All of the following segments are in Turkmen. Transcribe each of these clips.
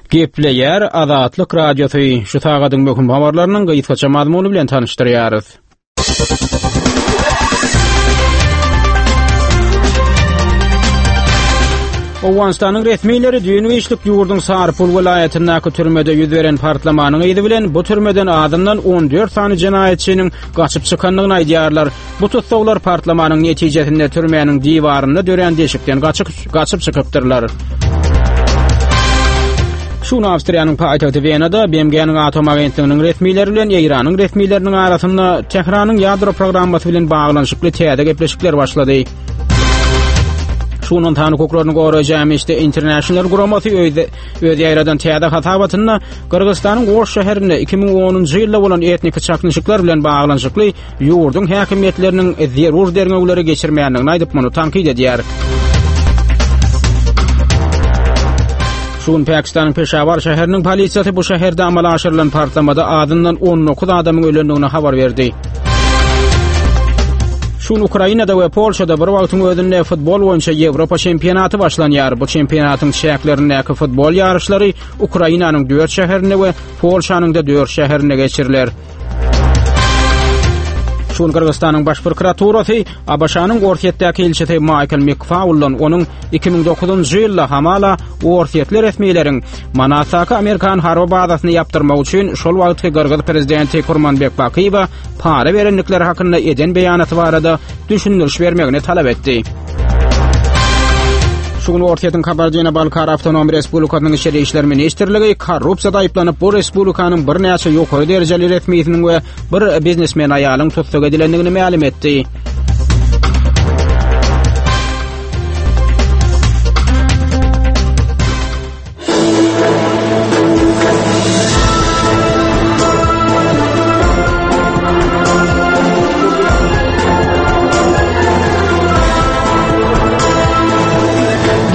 Gepleýär Azatlyk Radiosy, şu sagadyň möhüm habarlarynyň gysgaça mazmuny bilen tanyşdyrýarys. Owganystanyň resmileri düýn giçlik ýurduň Sarpul welaýatyndaky türmede ýüz beren partlamanyň yzy bilen bu türmeden azyndan 14 sany jenaýatçynyň gaçyp çykandygyny aýdýarlar. Bu tussaglar partlamanyň netijesinde türmäniň diwarynda dörän deşikden gaçyp, gaçyp çykypdyrlar. Şu gün Awstriýanyň paýtagty Wenada BMG-niň atom agentliginiň resmileri bilen Eýranyň resmileriniň arasynda Tähranyň ýadro programmasy bilen baglanyşykly täze gepleşikler başlady. Şu gün ynsan hukuklaryny goraýjy Amnesty International guramasy öz, öz ýaýradan täze hasabatynda Gyrgyzystanyň Oş şäherinde 2010-njy ýylda bolan etniki çaknyşyklar bilen baglanyşykly ýurduň häkimiýetleriniň zerur derňewleri geçirmeýändigini aýdyp, muny tankyt edýär. Şu gün Pakistanyň Peşawar şäheriniň polisiýasy bu şäherde amala aşyrylan partlamada azyndan 19 adamyň ölendigini habar berdi. Şu gün Ukrainada we Polşada bir wagtyň özünde futbol boýunça Ýewropa çempionaty başlanýar. Bu çempionatyň çäklerindäki futbol ýaryşlary Ukrainanyň 4 şäherinde we Polşanyň-da 4 şäherinde geçiriler. Şu gün Gyrgyzystanyň Baş prokuraturasy ABŞ-nyň Orsýetdäki ilçisi Maýkl McFauldan onuň 2009-njy ýylda hamala orsýetli resmileriň Manasdaky amerikan harby bazasyny ýapdyrmak üçin şol wagtky gyrgyz prezidenti Kurmanbek Bakyýewe para berendikleri hakynda eden beýanaty barada düşündiriş bermegini talap etdi. Şu gün Orsýetiň Kabardino-Balkar Awtonom Respublikasynyň Içeri işler ministrligi korrupsiýada aýyplanyp, bu respublikanyň birnäçe ýokary derejeli resmisiniň we bir biznesmen aýalyň tussag edilendigini mälim etdi.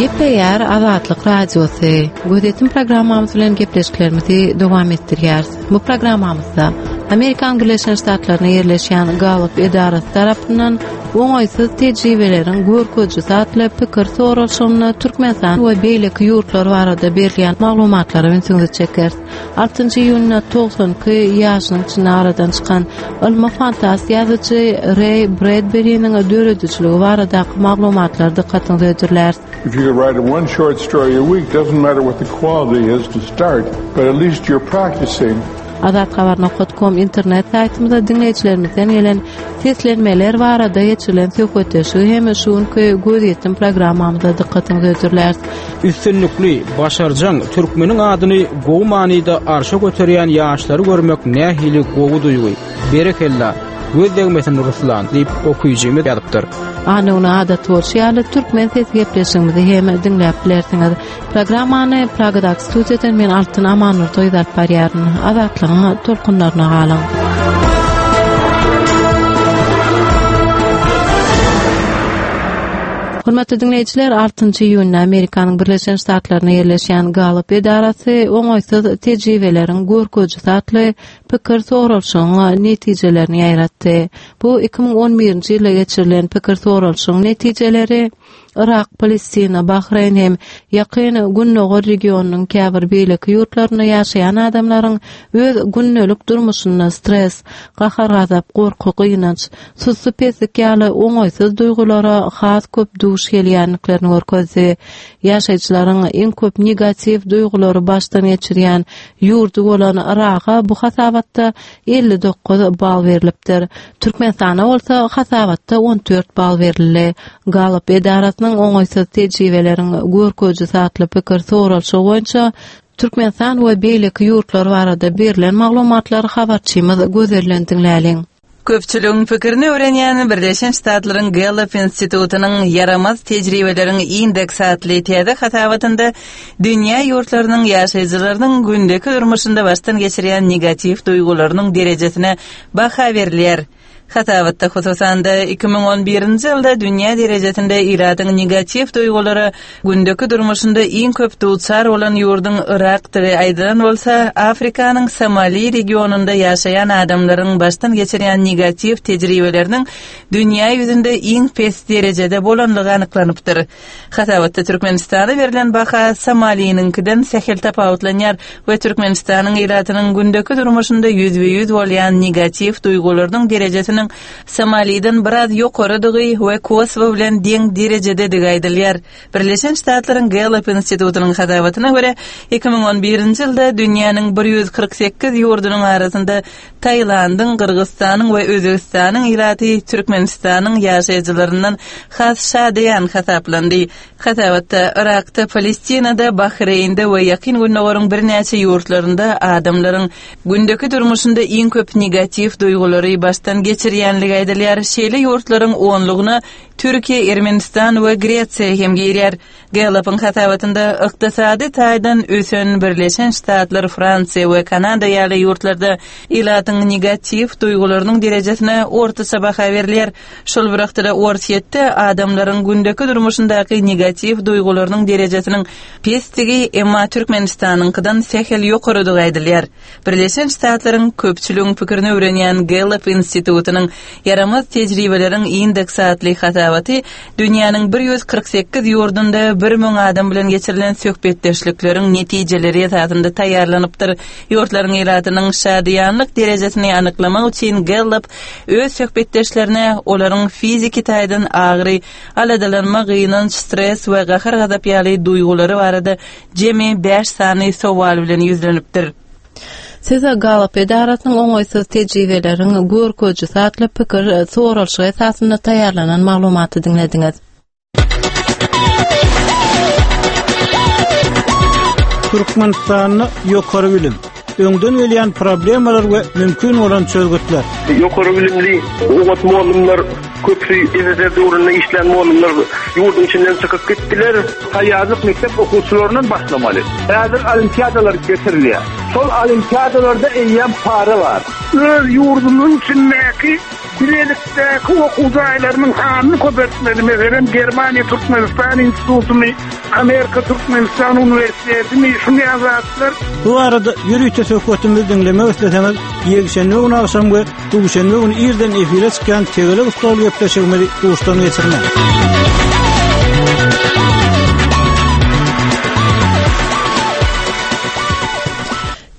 Gepleýär Azatlyk Radiosy. Gözetim programmamyz bilen gepleşiklerimizi dowam etdirýäris. Bu programmamyzda Amerikan Birleşen Ştatlarynda ýerleşýän Gallup edarasy tarapyndan Oňaýsyz tejribeleriň görkezijisi atly pikir soralyşygynda Türkmenistan we beýleki ýurtlar barada berilýän maglumatlara ünsüňizi çekeris. Altynjy iýunda 92 ýaşynyň içinde aradan çykan ylmy fantast ýazyjy Reý Bredberiniň döredijiligi baradaky maglumatlary dykgatyňyza hödürläris. If you could write one short story a week, doesn't matter what the quality is to start, but at least you're practicing. Azathabar nokat kom internet saýtymyzda diňleýjilerimizden gelen seslenmeler barada geçirilen söhbetdeşligi hem şu günki Gözýetim programmamyzda dykgatyňyza hödürläris. Üstünlikli, başarjaň, türkmeniň adyny gowy manyda arşa göterýän ýaşlary görmek nähili gowy duýgy. Berekella! Göz degmesin Ruslan! diýip, okyjymyz ýazypdyr. Anna güni adaty bolşy ýaly Türkmen sesi gepleşigimizi hem diňläp bilersiňiz. Programmany Pragadaky studiýadan men Altyn Amannurdyýewa alyp barýaryn. Azatlygyň tolkunlaryna galyň. Hormatly diňleýjiler, 6-njy iýunda Amerikanyň Birleşen Ştatlarynda ýerleşýän Gallup edarasy oňaýsyz tejribeleriň görkezijisi atly pikir soralyşygyň netijelerini ýaýratdy. Bu 2011-nji ýylda geçirilen pikir soralyşygyň netijeleri Yrak, Palestina, Bahreýn hem Ýakyn Gündogar regionynyň käbir beýleki ýurtlarynda ýaşaýan adamlaryň öz gündelik durmuşynda stres, gahar-gazap, gorky, gynanç, sussupeslik ýaly oňaýsyz duýgulara has köp duş gelýändiklerini görkezdi. Ýaşaýjylaryň iň köp negatiw duýgulary başdan geçirýän ýurdy bolan Yraga bu hasabatda 59 bal berlipdir. Türkmenistana bolsa hasabatda 14 bal berildi. Gallup edarasynyň oňaýsyz tejribeleriň görkezijisi atly pikir soralyşygy boýunça Türkmenistan we beýleki ýurtlar barada berlen maglumatlary habarçymyz Gözelden diňläliň. Köpçüligiň pikirini öwrenýän Birleşen Ştatlaryň Gallup institutynyň Ýaramaz tejribeleriň indeksi atly täze hasabatynda dünýä ýurtlarynyň ýaşaýjylarynyň gündeki durmuşynda başdan geçirýän negatiw duýgularynyň derejesine baha berilýär. Hasabatda, hususan-da, 2011-nji ýylda dünýä derejesinde ilatyň negatiw duýgulara gündeki durmuşynda iň köp duçar bolan ýurduň Yrakdygy aýdylan bolsa, Afrikanyň Somali regionynda ýaşaýan adamlaryň başdan geçirýän negatiw tejribeleriniň dünýä ýüzünde iň pes derejede bolanlygy anyklanypdyr. Hasabatda Türkmenistana berlen baha Somaliniňkiden sähel tapawutlanýar we Türkmenistanyň ilatynyň gündeki durmuşynda ýüzbe-ýüz bolýan negatiw duýgularynyň derejesiniň Somaliden biraz ýokarydygy we Kosowo bilen deň derejededigi aýdylýar. Birleşen Ştatlaryň Gallup institutynyň hasabatyna görä, 2011-nji ýylda dünýäniň 148 ýurdunyň arasynda Tailandyň, Gyrgyzystanyň we Özbegistanyň ilaty Türkmenistanyň ýaşaýjylaryndan has şadyýan hasaplandy. Hasabatda Yrakda, Palestinada, Bahreýnde we Ýakyn Gündogaryň birnäçe ýurtlarynda adamlaryň gündeki durmuşynda iň köp negatiw duýgulary başdan geçirýänligi aýdylýar. Şeýle ýurtlaryň onlugyna Türkiýe, Ermenistan we Gresiýa hem girýär. Gallup-yň hasabatynda ykdysady taýdan ösen Birleşen Ştatlar, Fransiýa we Kanada ýaly ýurtlarda ilatyň negatiw duýgularynyň derejesine ortaça baha berilýär. Şol bir wagtda-da Orsýetde adamlaryň gündeki durmuşyndaky negatiw duýgularynyň derejesiniň pesdigi, emma Türkmenistanyňkydan sähel ýokarydygy aýdylýar. Birleşen Ştatlaryň köpçüligiň pikirini öwrenýän Gallup institutynyň Ýaramaz tejribeleriň indeksi atly hasabaty dünýäniň 148 ýurdunda 1000 adam bilen geçirilen söhbetdeşlikleriň netijeleri esasynda taýýarlanypdyr. Ýurtlaryň ilatynyň şadyýanlyk derejesini anyklamak üçin Gallup öz söhbetdeşlerine olaryň fiziki taýdan agyry, aladalanma, gynanç, stres we gahar-gazap ýaly duýgulary barada jemi bäş sany sowal bilen ýüzlenipdir. Siz Gallup edarasynyň oňaýsyz tejribeleriň görkezijisi atly pikir soralyşygy esasynda taýýarlanan maglumaty diňlediňiz. Türkmenistanda ýokary bilim, öňden gelýän problemalar we mümkin bolan çözgütler. Ýokary bilimli oňat mugallymlar köpüsi SSR döwründe işlän mugallymlar ýurduň içinden çykyp gitdiler. Taýýarlyk mekdep okuwçylaryndan başlamaly. Häzir olimpiadalar geçirilýär. Şol olimpiadalarda eýýäm para bar. Öz ýurdumyzyň içindäki bilelikdäki okuw jaýlarynyň sanyny köpeltmeli. Meselem, Germaniýa-Türkmenistan institutyny, Amerika-Türkmenistan uniwersitetini, şuny ýaly zatlar. Bu barada ýörite söhbetimizi diňlemek isleseňiz, ýekşenbe güni agşam we Duşenbe güni irden efire çykýan Tegelek stol gepleşigimizi duşdan geçirmäň.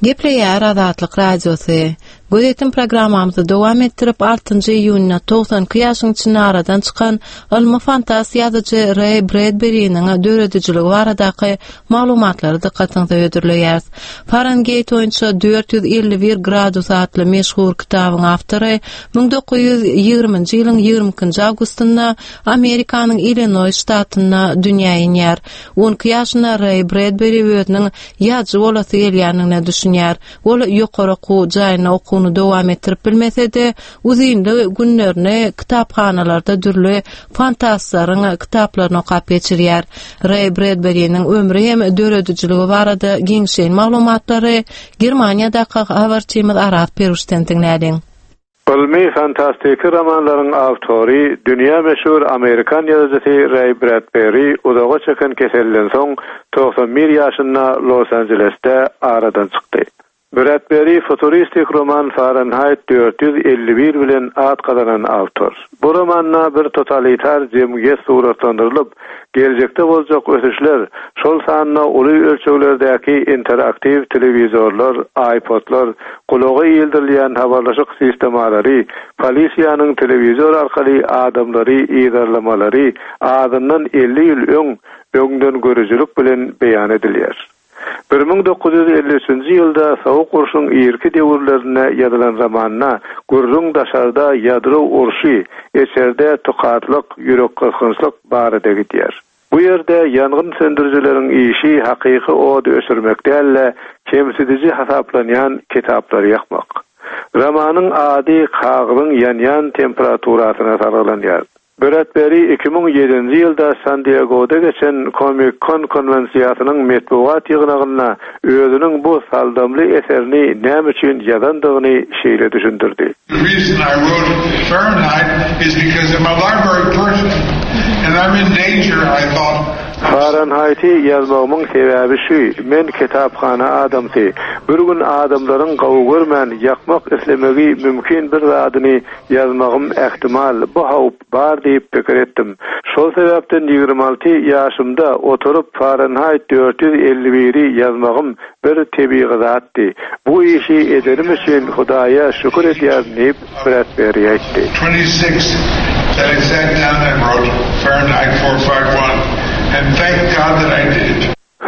Gepleýär Azatlyk Radiosy. Gözýetim programmamyzy dowam etdirip, 6-njy iýunda 92 ýaşyň içinde aradan çykan ylmy fantast ýazyjy Reý Bredberiniň döredijiligi baradaky Maglumatlary dykgatyňyza hödürleýäris. Farengeýt boýunça 451 gradus atly meşhur kitabyň awtory 1920-nji ýylyň 22-nji awgustynda Amerikanyň Illinoý ştatynda dünýä inýär. On iki ýaşynda Reý Bredberi özüniň ýazyjy bolasy gelýändigine düşünýär. Ol ýokary okuw jaýynda okuwyny dowam etdirip bilmese-de, uzynly günlerini kitaphanalarda dürli fantastlaryň kitaplaryny okap geçirýär. Reý Bredberiniň ömri hem döredijiligi barada giňişleýin maglumatlary Germaniýadaky habarçymyz Araz Peruşden diňläliň. Ylmy-fantastiki romanlaryň awtory, dünýä meşhur amerikan ýazyjysy Reý Bredberi uzaga çeken keselden soň 91 ýaşynda Los-Anjelesde aradan çykdy. Bredberi futuristik roman Farenhaýt 451 bilen at gazanan awtor. Bu romanda bir totalitar jemgyýet suratlandyrylyp, geljekde boljak ösüşler, şol sanda uly ölçeglerdäki interaktiw telewizorlar, iPodlar, gulaga ildirilýän habarlaşyk sistemalary, polisiýanyň telewizor arkaly adamlary yzarlamalary azyndan 50 ýyl öň öňdengörüjilik bilen beýan edilýär. 1953-nji ýylda Sowuk urşuň irki döwürlerinde ýazylan romanda gürrüň daşarda ýadro urşy, içerde tukatlyk, ýürekgysgynçlyk barada gidýär. Bu ýerde ýangyn söndürijileriň işi hakyky ody öçürmek däl-de, kemsidiji hasaplanýan kitaplary ýakmak. Romanyň ady kagyzyň ýanýan temperaturasyna salgylanýar. Bredberi 2007-nji ýylda San-Diegoda geçen Comic-Con konwensiýasynyň metbugat ýygnagynda özüniň bu saldamly eserini näme üçin ýazandygyny şeýle düşündirdi. The reason I wrote Fahrenheit is because I'm a library person and I'm in danger, I thought. Farenheiti ýazmagymyň sebäbi şu, men kitaphana adamsy. Bir gün adamlaryň gowy görmän, ýakmak islemegi mümkin bir zadyny Ýazmagym ähtimal, bu howp bar diýip pikir etdim. Şol sebäpden 26 ýaşymda oturyp Farenhaýt 451-i ýazmagym bir tebigy zatdy. Bu işi edenim üçin Hudaýa şükür edýärin diýip, Bradberi aýtdy. 26 that I sat down and wrote Fahrenheit 451 and thank God that I did.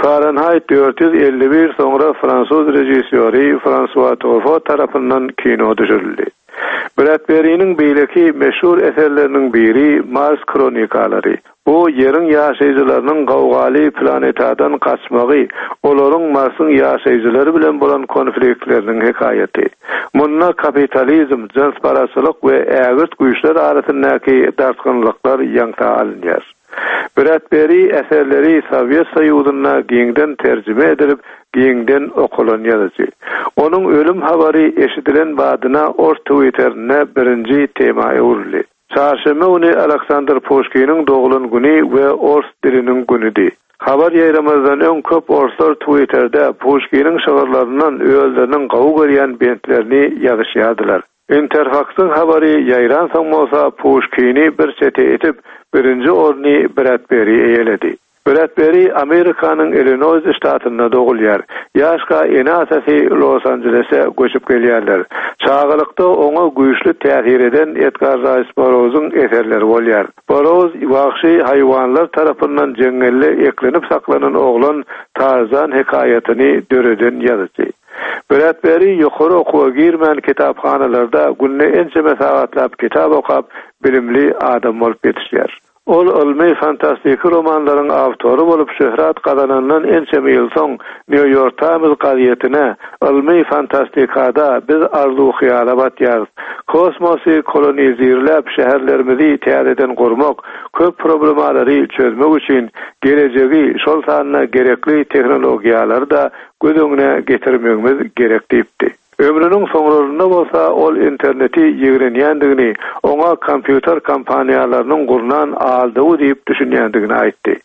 Farenhaýt 451 soňra fransuz režissýory Fransua Trufo tarapyndan kino düşürildi. Bradberiniň beýleki meşhur eserleriniň biri Mars hronikalary. Bu Ýeriň ýaşaýjylarynyň gowgaly planetadan gaçmagy, olaryň Marsyň ýaşaýjylary bilen bolan konfliktleriniň hekaýaty. Munda kapitalizm, jynsparazçylyk we ägirt güýçler arasyndaky dartgynlyklar ýaňsa alynýar. Bradberi eserleri Sowet Soýuzynda giňden terjime edilip, giňden okalan ýazyjy. Onuň ölüm habary eşidilen badyna ors Twitterinde birinji tema öwrüldi. Çarşenbe güni Aleksandr Puşkiniň doglan güni we ors diliniň günüdi. Habar ýaýramazdan öň köp orslar Twitterde Puşkiniň şygyrlaryndan özleriniň gowy görýän bentlerini ýazyşýardylar. Interfaksyň habary ýaýransoň bolsa Puşkini bir çete itip, birinji orny Bradberi eýeledi. Bradberi Amerikanyň Illinoýs ştatynda dogulýar. Ýaşka ene-atasy Los-Anjelese göçüp gelýärler. Çagalykda oňa güýçli täsir eden Edgar Raýs Burrouzyň eserleri bolýar. Burrouz wagşy haýwanlar tarapyndan jeňňelde eklenip saklanan oglan Tarzan hekaýatyny döreden ýazyjy. Bradberi ýokary okuwa girmän kitaphanalarda günde ençeme sagatlap kitap okap, bilimli adam bolup ýetişýär. Ol ylmy fantastiki romanlaryň awtory bolup şöhrat gazanandan ençeme ýyl soň New York Times gazetine Ylmy fantastikada biz arzuw-hyýala batýarys. Kosmosy kolonizirläp şäherlerimizi täzeden gurmak, köp problemalary çözmek üçin gelejegi, şol sanda gerekli tehnologiýalary-da göz öňüne getirmegimiz gerek diýipdi. Ömrüniň soňlarynda bolsa ol interneti ýigrenýändigini, oňa kompýuter kompaniýalarynyň gurnan aldawy diýip düşünýändigini aýtdy.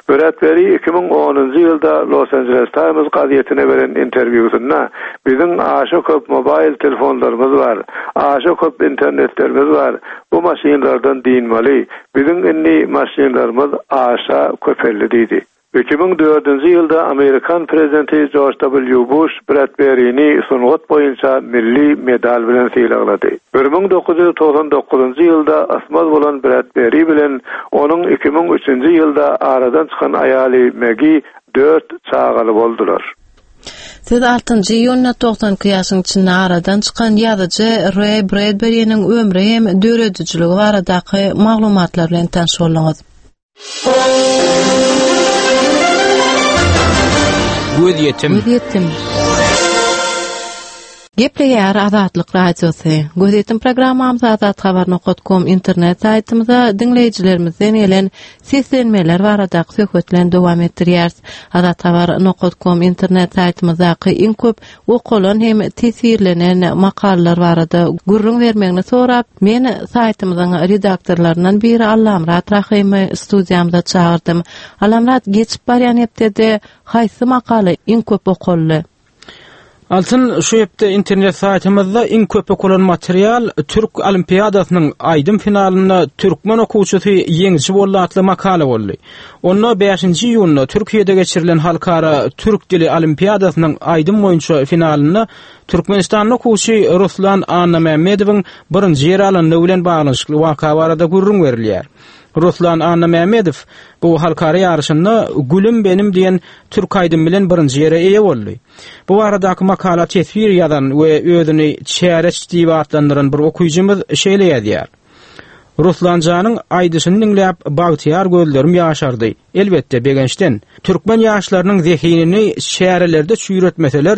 Bradberi 2010-njy ýylda Los Angeles Times gazetine beren interwýusynda, Biziň aşa köp mobaýl telefonlarymyz bar, aşa köp internetlerimiz bar, bu maşynlardan dynmaly, biziň indi maşynlarymyz aşa köpeldi diýdi. 2004-nji ýylda amerikan prezidenti Jorj W. Buş Bradberini sungat boýunça milli medal bilen sylaglady. 1999-njy ýylda ysmaz bolan Bradberi bilen onuň 2003-nji ýylda aradan çykan aýaly Megi dört çagaly boldular. Siz altynjy iýunda 92 ýaşyň içinde aradan çykan ýazyjy Reý Bredberiniň ömri hem döredijiligi baradaky maglumatlar bilen tanyş bolduňyz. Gözýetim. Gözýetim. Gepleýär Azatlyk Radiosy. Gözýetim programmamyzy azathabar.com internet saýtymyza diňleýjilerimizden gelen seslenmeler baradaky söhbet bilen dowam etdirýäris. Azathabar.com internet saýtymyzdaky iň köp okalan hem teswirlenen makalalar barada gürrüň bermegini sorap, men saýtymyzyň redaktorlaryndan biri Allamyrat Rahymy studiýamyza çagyrdym. Allamyrat, geçip barýan hepdede haýsy makala iň köp okaldy? Altyn, şu hepde internet saýtymyzda iň köp okalan material Türk olimpiadasynyň aýdym finalynda türkmen okuwçysy ýeňiji boldy atly makala boldy. Onda bäşinji iýunda Türkiýede geçirilen halkara türk dili olimpiadasynyň aýdym boýunça finalynda türkmenistanly okuwçy Ruslan Annamämmedowyň birinji ýeri alandygy bilen baglanyşykly waka barada gürrüň berilýär. Ruslan Annamämmedow bu halkara ýaryşynda Gülüm benim diýen türk aýdymy bilen birinji ýere eýe boldy. Bu baradaky makala teswir ýazan we özüni Çäreç diýip atlandyran bir okyjymyz şeýle ýazýar. Ruslanjanyň aýdyşyny diňläp, bagtyýar gözlerim ýaşardy. Elbetde, begençden. Türkmen ýaşlarynyň zehinini çärelerde çüýretmeseler,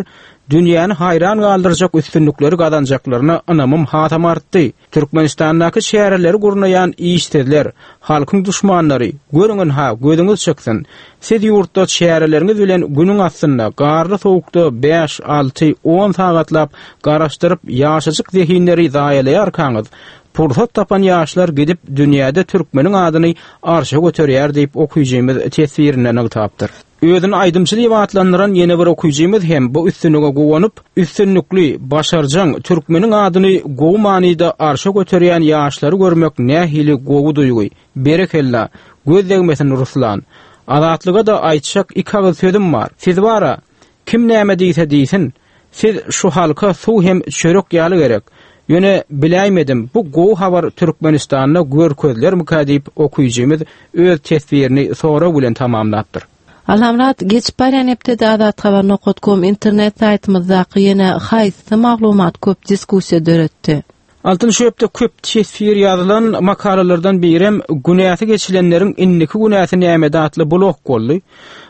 dünýäni haýran galdyrjak üstünlikleri gazanjaklaryna ynamym hasam artdy. Türkmenistandaky çäreleri gurnaýan işsizler, halkyň duşmanlary, görüň ynha, gözüňiz çyksyn. Siz ýurtda çäreleriňiz bilen günüň astynda, garly sowukda bäş, alty, on sagatlap garaşdyryp ýaşajyk zehinleri zaýalaýarkaňyz, pursat tapan ýaşlar gidip dünýäde türkmeniň adyny arşa göterýär diýip okyjymyz teswirinde nygtapdyr. Özüni aýdymçy diýip atlandyran ýene bir okyjymyz hem bu üstünlige guwanyp, Üstünlikli, başarjaň, türkmeniň adyny gowy manyda arşa göterýän ýaşlary görmek nähili gowy duýgy. Berekella! Göz degmesin Ruslan! Azatlyga-da aýtjak iki agyz sözüm bar. Siz bar-a, kim näme diýse diýsin, siz şu halka suw hem çörek ýaly gerek. Ýöne biläýmedim, bu gowy habar Türkmenistanda görkezilermikä diýip okyjymyz öz teswirini sorag bilen tamamlapdyr. Allamyrat, geçip barýan hepdede Azathabar nokat kom internet saýtymyzdaky ýene haýsy maglumat köp diskussiýa döretdi? Altyn şu hepde köp teswir ýazylan makalalardan birem Günäsi geçilenleriň indiki günäsi nämede atly blog boldy.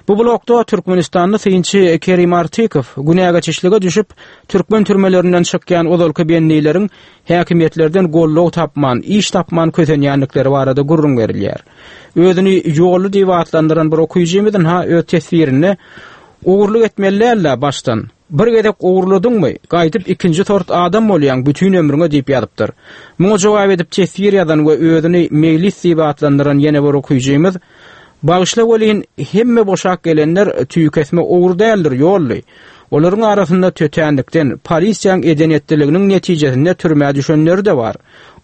Bu blogda türkmenistanly synçy Kerim Artykow günägeçişlige düşüp, türkmen türmelerinden çykýan ozalky bendileriň häkimiýetlerden goldaw tapman, iş tapman kösenýändikleri barada gürrüň berilýär. Özüni Ýolly diýip atlandyran bir okyjymyz ynha öz teswirinde Ogurlyk etmeli däl-dä başdan. Bir gezek ogurladyňmy, gaýdyp ikinji sort adam bolýaň bütin ömrüňe diýip ýazypdyr. Muňa jogap edip teswir ýazan we özüni Meýlis diýip atlandyran ýene bir okyjymyz, Bagyşla welin, hemme boşap gelenler tüýkesme ogry däldir, Ýolly. Olaryň arasynda tötänlikden, polisiýaň eden-etdiliginiň netijesinde türmä düşenleri-de bar.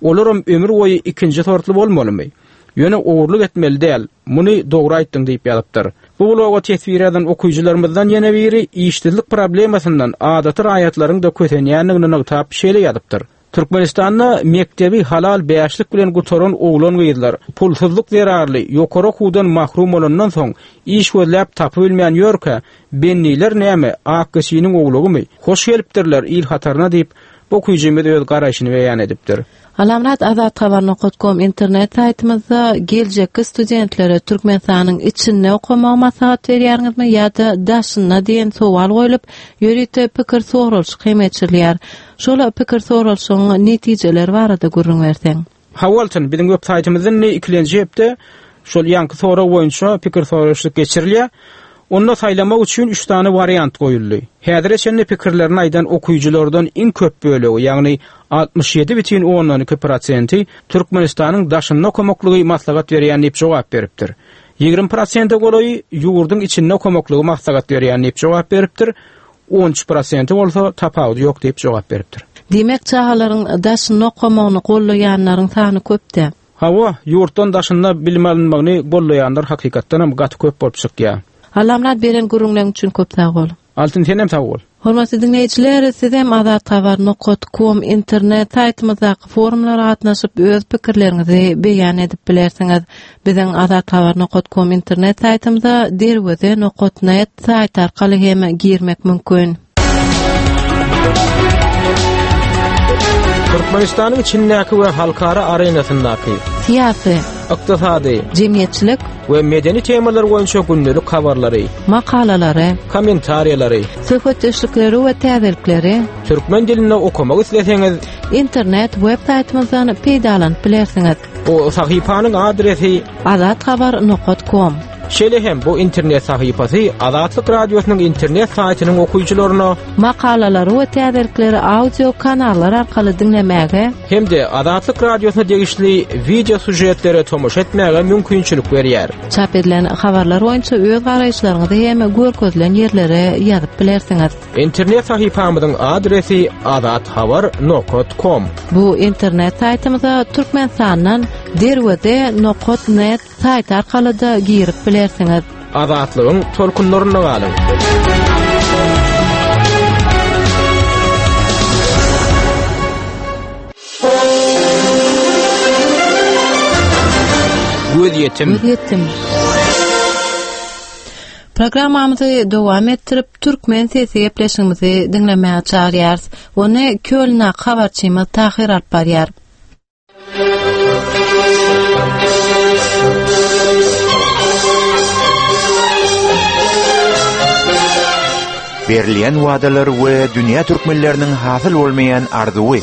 Olaram ömür boýy ikinji sortly bolmalymy? Ýöne ogurlyk etmeli däl, muny dogry aýtdyň diýip ýazypdyr. Bu bloga teswir ýazan okyjylarymyzdan ýene biri işsizlik problemasyndan adaty raýatlaryň-da kösenýändigini nygtap şeýle ýazypdyr, Türkmenistanda mekdebi halal bäşlik bilen gutaran oglan-gyzlar pulsuzlyk zerarly ýokary okuwdan mahrum bolandan soň iş gözläp tapybilmän ýörkä, bendiler näme, ak geçiniň owlagymy? Hoş gelipdirler il hataryna diýip, bu okyjymyz öz garaýşyny beýan edipdir. Alamrat Azathabar nokat kom internet saýtymyzda geljekki studentlere Türkmenistanyň içinde okamagy maslahat berýäriňizmi ýa-da daşynda diýen sowal goýlup, ýörite pikir soralyşyk hem geçirilýär. Şol pikir soralyşygyň netijeleri barada gürrüň berseň. Hawa Altyn, biziň web saýtymyzda indi ikilenji hepde şol ýaňky sorag boýunça pikir soralyşyk geçirilýär. Onda saýlamak üçin üç sany wariant goýuldy. Häzire çenli pikirlerini aýdan okyjylardan iň köp bölegi, ýagny 67,2 prosenti Türkmenistanyň daşynda okamaklygy maslahat berýän diýip jogap beripdir. 20 prosente golaýy ýurduň içinde okamaklygy maslahat berýän diýip jogap beripdir, 13 prosenti bolsa tapawudy ýok diýip jogap beripdir. Diýmek, çagalaryň daşynda okamagyny gollaýanlaryň sany köp-dä? Hawa, ýurtdan daşynda bilim alynmagyny gollaýanlar hakykatdanam gaty köp bolup çykýar. Allamyrat beren gürrüňleň üçin köp sag bol. Altyn senem sag bol. Hormatly diňleýjiler, siz hem Azathabar nokat kom internet saýtymyzdaky forumlara gatnaşyp öz pikirleriňizi beýan edip bilersiňiz. Biziň Azathabar nokat kom internet saýtymyza Derweze nokat net saýty arkaly hem girmek mümkin. Türkmenistanyň içindäki we halkara arenasyndaky syýasy, ykdysady, jemgyýetçilik we medeni temalar boýunça gündelik habarlary, makalalary, kommentariýalary, söhbetdeşlikleri we täzelikleri türkmen dilinde okamak isleseňiz, internet web saýtymyzdan peýdalanyp bilersiňiz. Bu sahypanyň adresi azathabar nokat kom. Şeýle hem bu internet sahypasy Azatlyk Radiosynyň internet saýtynyň okyjylaryna makalalary we täzelikleri audio kanallar arkaly diňlemäge hem-de Azatlyk Radiosyna degişli wideo sýužetlere tomaşa etmäge mümkinçilik berýär. Çap edilen habarlar boýunça öz garaýyşlaryňyzy hem görkezilen ýerlere ýazyp bilersiňiz. Internet sahypamyzyň adresi azathabar nokat kom. Bu internet saýtymyza Türkmenistandan Derweze nokat net Saýt arkaly-da girip bilersiňiz. Azatlygyň tolkunlarynda galyň! Gözýetim. Gözýetim. Programmamyzy dowam etdirip, Türkmen sesi gepleşigimizi diňlemäge çagyrýarys. Ony Kölnaky habarçymyz Tahyr alyp barýar. Berilýän wadalar we dünýä türkmenleriniň hasyl bolmaýan arzuwy.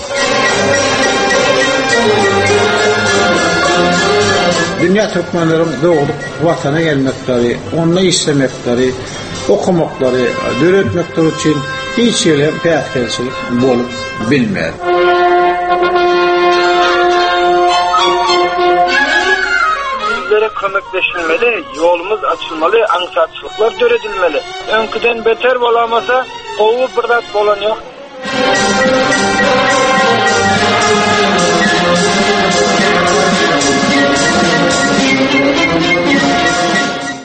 Dünýä türkmenleriň dogduk Watana gelmekleri, onda işlemekleri, okamaklary, döretmekleri üçin hiç hili päsgelçilik bolup bilmez. Bizlere kömekleşilmeli, ýolumyz açylmaly, aňsatçylyklar döredilmeli. Öňküden beter bolamasa, gowy bir zat bolan ýok.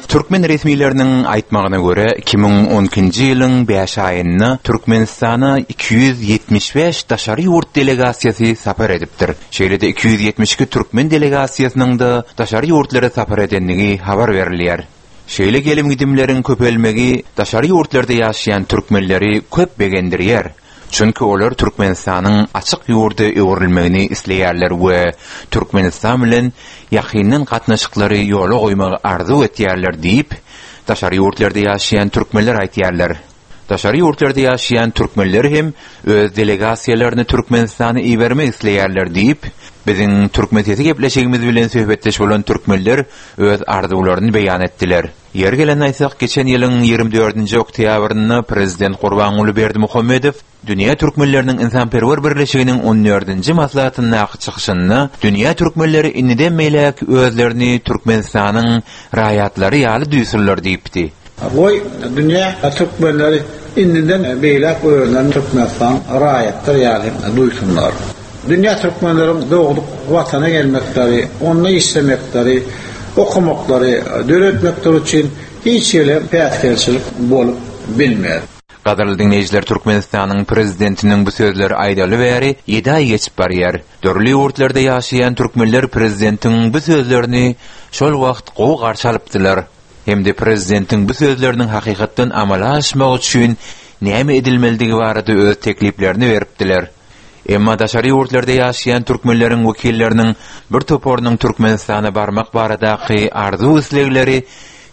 Türkmen resmileriniň aýtmagyna görä, 2012-nji ýylyň bäş aýynda Türkmenistana 275 daşary ýurt delegasiýasy sapar edipdir. Şeýle-de 272 türkmen delegasiýasynyň-da daşary ýurtlara sapar edendigi habar berilýär. Şeýle gelim-gidimleriň köpelmegi daşary ýurtlarda ýaşaýan türkmenleri köp begendirýär. Çünki olar Türkmenistanyň açyk ýurda öwrülmegini isleýärler we Türkmenistan bilen ýakyndan gatnaşyklary ýola goýmagy arzuw etýärler diýip, daşary ýurtlarda ýaşaýan türkmenler aýtýarlar. Daşary ýurtlarda ýaşaýan türkmenler hem öz delegasiýalaryny Türkmenistana ibermek isleýärler diýip, biziň Türkmen sesi gepleşigimiz bilen söhbetdeş bolan türkmenler öz arzuwlaryny beýan etdiler. Ýeri gelende aýtsak, geçen ýylyň 24-nji oktýabrynda prezident Gurbanguly Berdimuhamedow Dünýä türkmenleriniň ynsanperwer birleşiginiň on dördünji maslahatyndaky çykyşynda dünýä türkmenleri indiden beýläk özlerini Türkmenistanyň raýatlary ýaly duýsunlar diýipdi. Goý, dünýä türkmenleri indiden beýläk özlerini Türkmenistanyň raýatlary ýaly duýsunlar. Dünýä türkmenleriň dogduk Watana gelmekleri, onda işlemekleri, okamaklary, döretmekleri üçin hiç hili päsgelçilik bolup bilmez. Gadyrly diňleýjiler Türkmenistanyň Prezidentiniň bu sözleri aýdaly bäri ýedi aý geçip barýar. Dürli ýurtlarda ýaşaýan türkmenler prezidentiň bu sözlerini şol wagt gowy garşy alypdylar. Hem-de prezidentiň bu sözleriniň hakykatdan amala aşmagy üçin näme edilmelidigi barada öz tekliplerini beripdiler. Emma daşary ýurtlarda ýaşaýan türkmenleriň wekilleriniň bir toparynyň Türkmenistana barmak baradaky arzuw-islegleri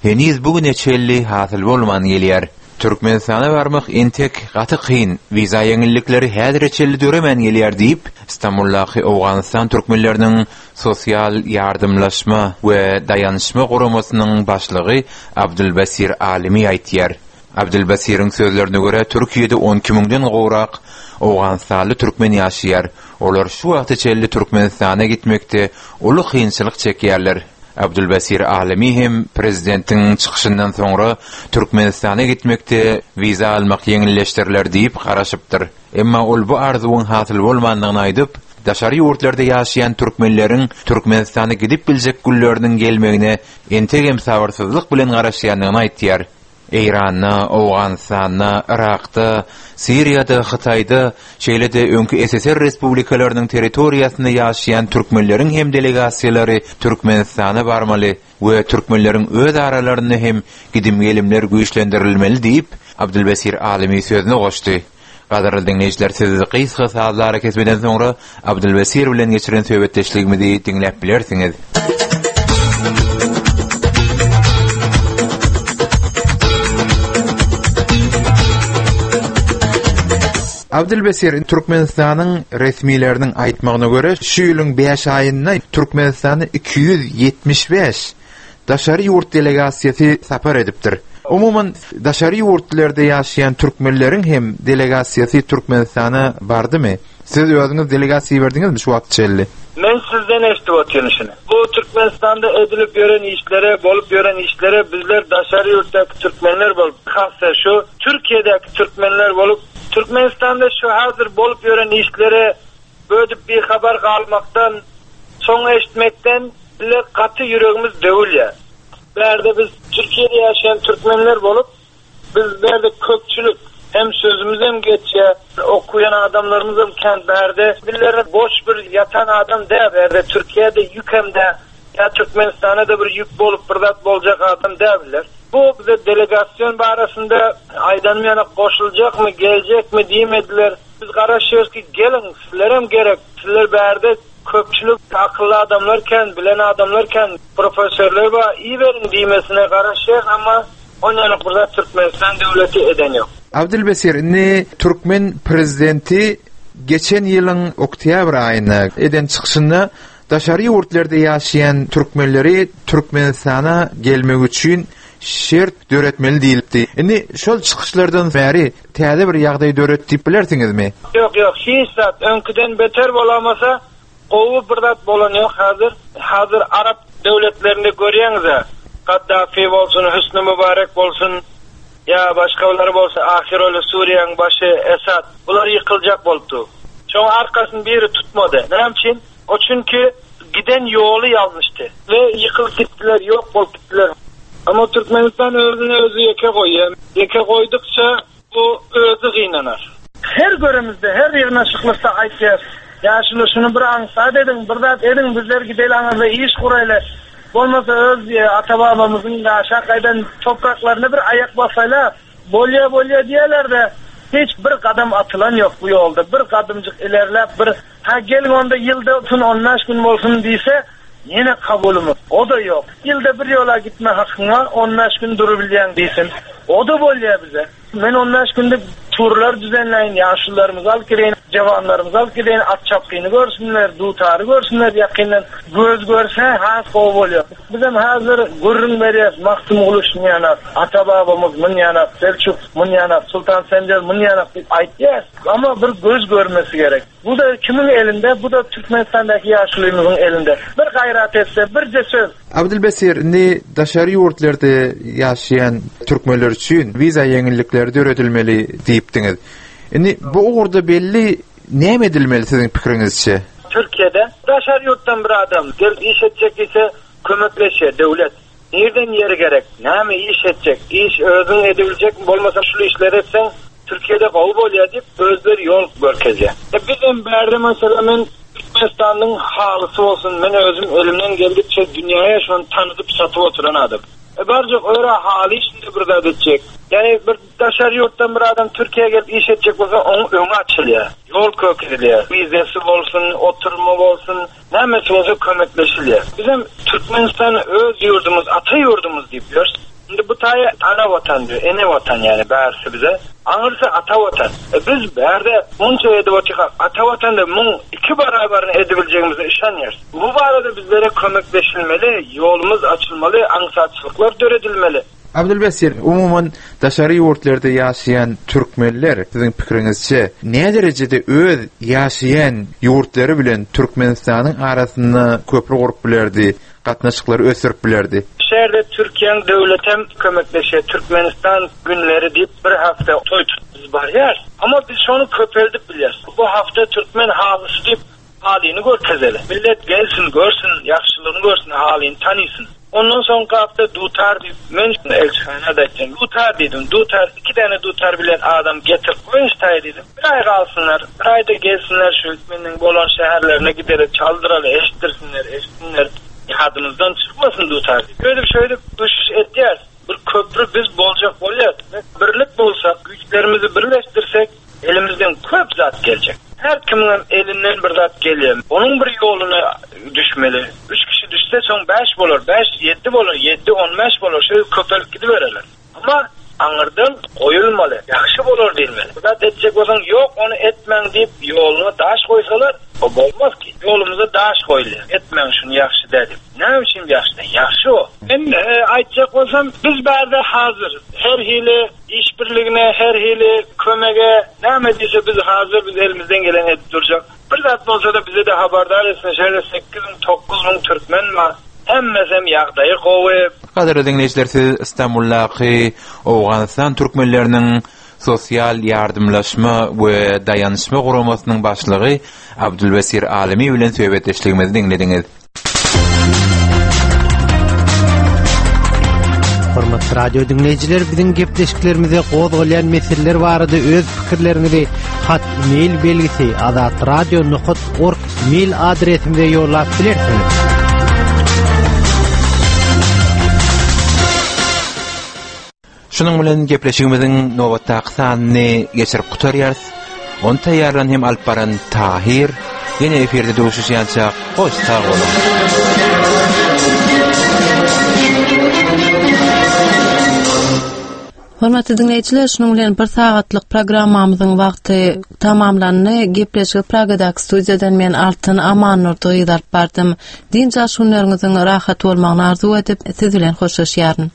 heniz bu güne çenli hasyl bolman gelýär. Türkmenistana barmak entek gaty kyn, wiza ýeňillikleri häzire çenli döremän gelýär diýip, Stambuldaky Owganystan türkmenleriniň sosial ýardymlaşma we daýanyşma guramasynyň başlygy Abdulbasir Alimi aýtýar. Abdulbasiriň sözlerine görä, Türkiýede 12 müňden gowrak owganystanly türkmen ýaşaýar. Olar şu wagta çenli Türkmenistana gitmekde uly kynçylyk çekýärler. Abdulbasir Alimi hem prezidentiň çykyşyndan soňra Türkmenistana gitmekde wiza almak ýeňilleşdiriler diýip garaşypdyr. Emma ol bu arzuwyň hasyl bolmandygyny aýdyp, daşary ýurtlarda ýaşaýan türkmenleriň Türkmenistana gidip biljek günleriniň gelmegine entegem sabyrsyzlyk bilen garaşýandygyny aýtýar. Eýranda, Owganystanda, Yrakda, Siriýada, Hytaýda, şeýle-de öňki SSR respublikalarynyň territoriýasynda ýaşaýan türkmenleriň hem delegasiýalary Türkmenistana barmaly we türkmenleriň öz aralarynda hem gidim-gelimler güýçlendirilmeli diýip, Abdulbesir Alymy sözüne goşdy. Gadyrly diňleýjiler siz gysga sazly arakesmeden soňra Abdulbesir bilen geçiren söhbetdeşligimizi diňläp bilersiňiz. Abdulbesir, Türkmenistanyň resmileriniň aýtmagyna görä, şu ýylyň bäş aýynda Türkmenistana 275 daşary ýurt delegasiýasy sapar edipdir. Umuman, daşary ýurtlarda ýaşaýan türkmenleriň hem delegasiýasy Türkmenistana bardymy? Siz özüňiz delegasiýa iberdiňizmi şu wagta çenli? Men sizden eşidip otyryn şuny. Bu Türkmenistanda edilip ýören işlere, bolup ýören işlere bizler daşary ýurtdaky türkmenler bolup, hassa şu Türkiýedäki türkmenler bolup, Türkmenistanda şu häzir bolup ýören işlere Bödüp bihabar galmakdan, soň eşitmekden bile gaty ýüregimiz döwülýär. Bärde biz Türkiýede ýaşaýan türkmenler bolup, biz bärde köpçülik, hem sözümizem geçýär, okuýan adamlarymyzam kän bärde. Bizler boş bir ýatan adam däl bärde, Türkiýede ýükem däl, ýa Türkmenistana-da bir ýük bolup bir zat boljak adam däl bizler. Bu bize delegasyon barasynda aýdanym ýaly goşuljakmy, geljekmi diýmediler. Biz garaşýarys ki geliň sizlerem gerek sizler bärde köpçülik akylly adamlar kän bilen adamlar kän professorlar bar iberiň diýmesine garaşýarys amma onýanok bir zat Türkmenistan döwleti eden ýok. Abdylbesir, indi türkmen prezidenti geçen ýylyň oktýabr aýynda eden çykyşynda daşary ýurtlarda ýaşaýan türkmenleri Türkmenistana gelmegi üçin şert döretmeli diýlipdi. Indi şol çykyşlardan bäri täze bir ýagdaý döret diýip bilersiňizmi? Ýok, ýok, hiç zat öňküden beter bolamasa Gowy bir zat bolan ýok hazir. Hazir arap döwletlerinde görýäňizä Gaddafi bolsun Hüsni Mübarek bolsun ýa başgalary bolsun ahyroly Suriýaň başy Esad bular ýykyljak bolupdy. Şoň arkasyny biri tutmady. Näme üçin? O çünki giden ýoly ýalňyşdy we ýykylyp gitdiler ýok bolup gitdiler. Amma Türkmenistan özüni özi ýeke goýýa. Ýeke goýdukça Bu özi gynanar. Her göremizde, her ýygnaşyklykda aýtýas, Ýaşuly, şuny bir aňsat ediň, bir zat ediň, bizler gideli aňyrda iş guraýly, bolmasa öz ata-babamyzyň ýaşap gaýdan topraklaryna bir aýak basaýla, bolýa, bolýa diýýärler-de, hiç bir gadam atylan ýok bu ýolda, bir gadymjyk ilerläp bir Hä, geliň onda ýylda otun on bäş gün bolsun diýse, ýene kabulymyz. O-da ýok. Ýylda bir ýola gitme hakyň bar, on bäş gün durubilýäň diýsin. O-da bolýar bize. Men on bäş günde turlar düzenläýin, ýaşulularymyzy alyp gideýin, jawanlarymyzy alyp gideýin, at çapgyny görsünler, dutary görsünler ýakyndan. Göz görse has gowy bolýar. Bizem häzir gürrüň berýäs, Magtymguly şunýanak, ata-babamyz munýanak, Selçuk munýanak, Sultan Senjer munýanak diýip aýtýas. Amma bir göz görmesi gerek. Bu-da kimiň elinde? Bu-da Türkmenistandaky ýaşulymyzyň elinde. Bir gaýrat etse, birje söz. Abdylbesir, indi daşary ýurtlarda ýaşaýan türkmenler üçin wiza ýeňillikleri döredilmeli diýipdiňiz. Indi bu ugurda belli näme edilmeli siziň pikiriňizçe? Türkiýede daşary ýurtdan bir adam gelip iş etjek diýse kömekleşýär döwlet. Nirden ýer gerek, näme iş etjek, iş özüň edebiljekmi bolmasa şul işleri etseň Türkiýede gowy bolýar diýip özleri ýol görkezýär. E bizem bärde meselem men Türkmenistanyň halysy bolsun men özüm elimden geldikçe dünýäge şony tanydyp satyp oturan adam. E barjak öra haly işinde bir zat etjek. Ýani bir daşary ýurtdan bir adam Türkiýä gelip iş etjek bolsa oň öňi açylýar. Ýol kökezilýär. Wizesi bolsun, oturymy bolsun. Nämesi bolsa kömekleşilýär. Bizem Türkmenistan öz ýurdumyz, ata ýurdumyz diýip ýörüs. Indi bu taýy ana watan diýip, ene watan ýagny bärsi bize. Aňyrsy ata watan. E biz bärde munça edip otyrkak, ata watanda muň iki barabaryny edibiljegimize yşanýarys. Bu barada bizlere kömekleşilmeli, ýolumyz açylmaly, aňsatçylyklar döredilmeli. Abdylbesir, umuman, daşary ýurtlarda ýaşaýan türkmenler, siziň pikiriňizçe, näderejede öz ýaşaýan ýurtlary bilen Türkmenistanyň arasynda köpri gurup bilerdi, gatnaşyklary ösdürip bilerdi? Şu ýerde Türkiýäň döwletem kömekleşýär, Türkmenistan günleri diýip bir hafta toý tutup biz barýarys. Amma biz şony köpeldip bilýäris. Bu hafta türkmen halysy diýip Halyny görkezeli. Millet gelsin, görsün, ýagşylygyny görsün, halyny tanysyn. Ondan soňky hafta dutar diýip, men elçihana-da aýtdym. Dutar diýdim, dutar, iki däne dutar bilen adam getirip goýuň şu taýa diýdim. Bir aý galsynlar, bir aýda gelsinler şu meniň bolan şäherlerine gideli, çaldyraly, eşitdirsinler, eşitsinler. Ýadymyzdan çykmasyn dutar diýip. Şeýdip, şeýdip duşuş edýäris. Bir köpri biz boljak bolýas. Birlik bolsak, güýçlerimizi birleşdirsek, Elimizden köp zat geljek. Her kimiňem elinden bir zat gelýär. Onuň bir ýoluna düşmeli. Üç kişi düşse, soň bäş bolar, bäş ýedi bolar, ýedi on bäş bolar, şeýdip köpelip gidibererler. Emma aňyrdan goýulmaly, ýagşy bolar diýilmeli. Bir zat etjek bolsaň, ýok, ony etmäň diýip, ýoluna daş goýsalar, o bolmaz ki. Ýolumyza daş goýulýar. Etmäň şuny ýagşy däl diýip. Näme üçin ýagşy däl? Ýagşy o. Men aýtjak bolsam, biz bärde hazir her hili Işbirligine, her hili kömege, näme diýse biz hazir, biz elimizden geleni edip durjak. Bir zat bolsa-da bize-de habardar etsin, şeýle 8000, 9000 türkmen bar. Hemmesem ýagdaýy gowy. Gadyrly diňleýjiler siz Istanbuldaky Owganystan türkmenleriniň sosial ýardymlaşma we daýanyşma guramasynyň başlygy Abdulbesir Alymy bilen söhbetdeşligimizi diňlediňiz. Hormatly radio diňleýjiler, biziň gepleşiklerimize gozgalýan meseleler barada öz pikirleriňizi hat mail belgisi azatradio.org mail adresimize ýollap bilersiňiz. Şunuň bilen gepleşigimiziň nobatdaky sanyny geçirip gutarýarys. Ony taýýarlan hem alyp baran Tahir. Ýene efirde duşuşýança hoş sag boluň. Hormatly diňleýjiler, şunuň bilen bir sagatlyk programmamyzyň wagty tamamlandy. Gepleşigi Pragadaky studiýadan men Altyn Amannurdy gyz alyp bardym. Dynç alyş günleriňiziň rahat bolmagyny arzuw edip, siz bilen hoşlaşýaryn.